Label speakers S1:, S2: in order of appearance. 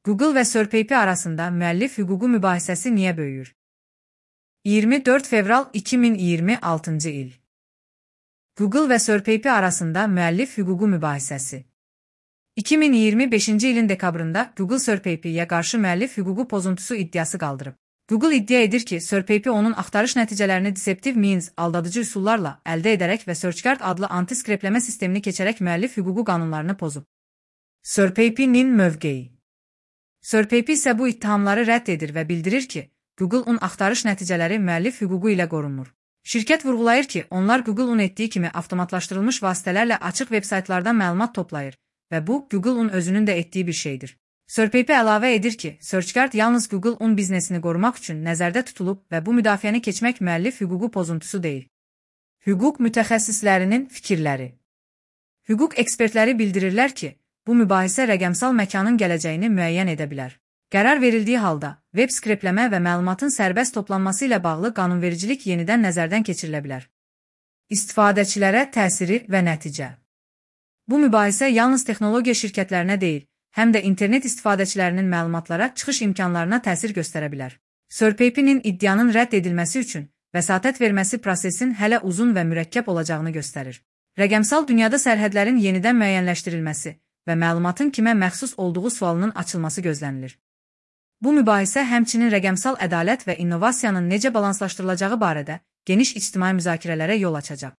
S1: Google və SirPaper arasında müəllif hüququ mübahisəsi niyə böyüyür? 24 fevral 2026 il. Google və SirPaper arasında müəllif hüququ mübahisəsi. 2025 ilin dekabrında Google SirPaper'yə qarşı müəllif hüququ pozuntusu iddiası qaldırıb. Google iddia edir ki, SirPaper onun axtarış nəticələrini deceptive means, aldadıcı üsullarla əldə edərək və SearchGuard adlı anti-skrepləmə sistemini keçərək müəllif hüququ qanunlarını pozub. SirPaper'nin mövqeyi. SirPaper isə bu ittihamları rədd edir və bildirir ki, Google-un axtarış nəticələri müəllif hüququ ilə qorunmur. Şirkət vurğulayır ki, onlar Google-un etdiyi kimi avtomatlaşdırılmış vasitələrlə açıq veb-saytlardan məlumat toplayır və bu, Google-un özünün də etdiyi bir şeydir. SirPaper əlavə edir ki, SearchGuard yalnız Google-un biznesini qorumaq üçün nəzərdə tutulub və bu müdafiəni keçmək müəllif hüququ pozuntusu deyil. Hüquq mütəxəssislərinin fikirləri. Hüquq ekspertləri bildirirlər ki, bu mübahisə rəqəmsal məkanın gələcəyini müəyyən edə bilər. Qərar verildiyi halda, web skrepləmə və məlumatın sərbəst toplanması ilə bağlı qanunvericilik yenidən nəzərdən keçirilə bilər. İstifadəçilərə təsiri və nəticə. Bu mübahisə yalnız texnologiya şirkətlərinə deyil, həm də internet istifadəçilərinin məlumatlara çıxış imkanlarına təsir göstərə bilər. SirPaper'nin iddianın rədd edilməsi üçün vəsatət verməsi prosesin hələ uzun və mürəkkəb olacağını göstərir. Rəqəmsal dünyada sərhədlərin yenidən müəyyənləşdirilməsi və məlumatın kimə məxsus olduğu sualının açılması gözlənilir. Bu mübahisə həmçinin rəqəmsal ədalət və innovasiyanın necə balanslaşdırılacağı barədə geniş ictimai müzakirələrə yol açacaq.